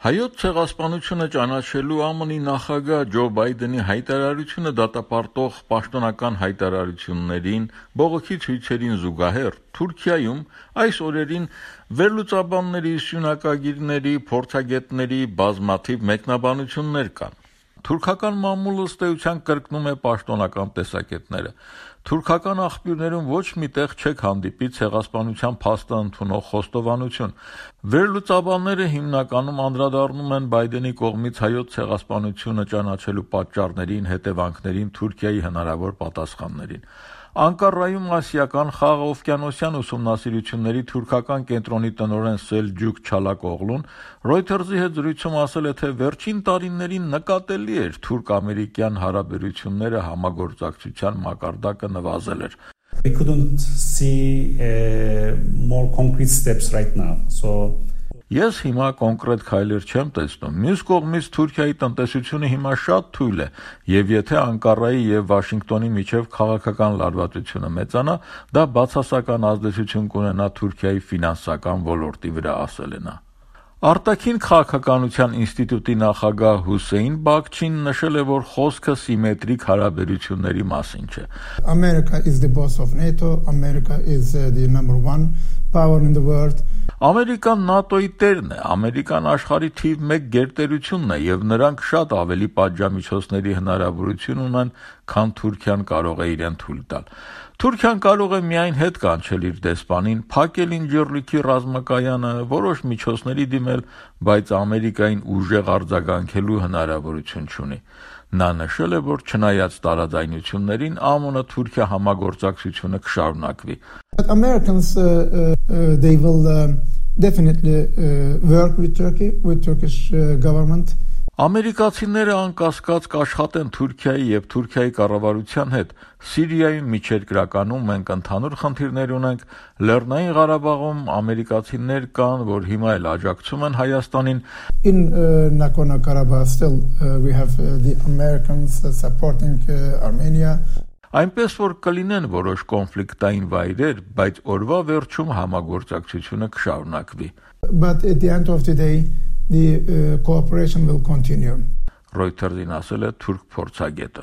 Հայոց ցեղասպանությունը ճանաչելու ԱՄՆ-ի նախագահ Ջո Բայդենի հայտարարությունը դատապարտող պաշտոնական հայտարարություններին, բողոքի ցույցերին զուգահեռ Թուրքիայում այս օրերին վերլուծաբանների, սյունակագիրների, փորձագետների բազմաթիվ մեկնաբանություններ կան։ Թուրքական մամուլը ըստ էության կրկնում է պաշտոնական տեսակետները։ Թուրքական աղբյուրներում ոչ մի տեղ չեք հանդիպի ցեղասպանության փաստը ընդունող խոստովանություն։ Վերլուծաբանները հիմնականում անդրադառնում են Բայդենի կողմից հայոց ցեղասպանությունը ճանաչելու պատճառներին, հետևանքներին, Թուրքիայի հնարավոր պատասխաններին։ Անկարայում ասիական խաղաղօվկիանոսյան ուսումնասիրությունների թուրքական կենտրոնի տնօրեն Սելջուկ Չալակօղլուն Reuters-ի հետ զրույցում ասել է, թե վերջին տարիներին նկատելի էր թուրք-ամերիկյան հարաբերությունները համագործակցության մակարդակը նվազել էր։ We couldn't see more concrete steps right now. Ես հիմա կոնկրետ քայլեր չեմ տեսնում։ Մյուս կողմից Թուրքիայի տնտեսությունը հիմա շատ թույլ է, եւ եթե Անկարայի եւ Վաշինգտոնի միջև քաղաքական լարվածությունը մեծանա, դա բացասական ազդեցություն կունենա Թուրքիայի ֆինանսական ոլորտի վրա, ասել է նա։ Արտաքին քաղաքականության ինստիտուտի նախագահ Հուսեյն Բաքչին նշել է, որ խոսքը սիմետրիկ հարաբերությունների մասին չէ։ America is the boss of NATO, America is the number one power in the world. Ամերիկան ՆԱՏՕ-ի տերն է, Ամերիկան աշխարհի թիվ 1 գերտերությունն է եւ նրանք շատ ավելի պատժամիջոցների հնարավորություն ունեն, քան Թուրքիան կարող է իրեն թույլ տալ։ Թուրքիան կարող է միայն հետ կանչել իր դեսպանին, փակել ինջիռլիքի ռազմակայանը, որոշ միջոցների դիմել, բայց Ամերիկային ուժեղ արձագանքելու հնարավորություն չունի։ Նա նշել է, որ չնայած տարաձայնություններին, ԱՄՆ-Թուրքիա համագործակցությունը կշարունակվի։ But Americans they will definitely work with Turkey, with Turkish government. Ամերիկացիները անկասկած կաշխատեն Թուրքիայի եւ Թուրքիայի կառավարության հետ։ Սիրիայում միջերկրականում մենք ընդհանուր խնդիրներ ունենք, Լեռնային Ղարաբաղում ամերիկացիներ կան, որ հիմա էլ աջակցում են Հայաստանին։ In Nagorno-Karabakh still we have the Americans supporting Armenia. Այնպես որ կլինեն որոշ կոնֆլիկտային վայրեր, բայց օրվա վերջում համագործակցությունը կշարունակվի։ But at the end of the day the cooperation will continue. Reuters-ին ասել է թուրք փորձագետը։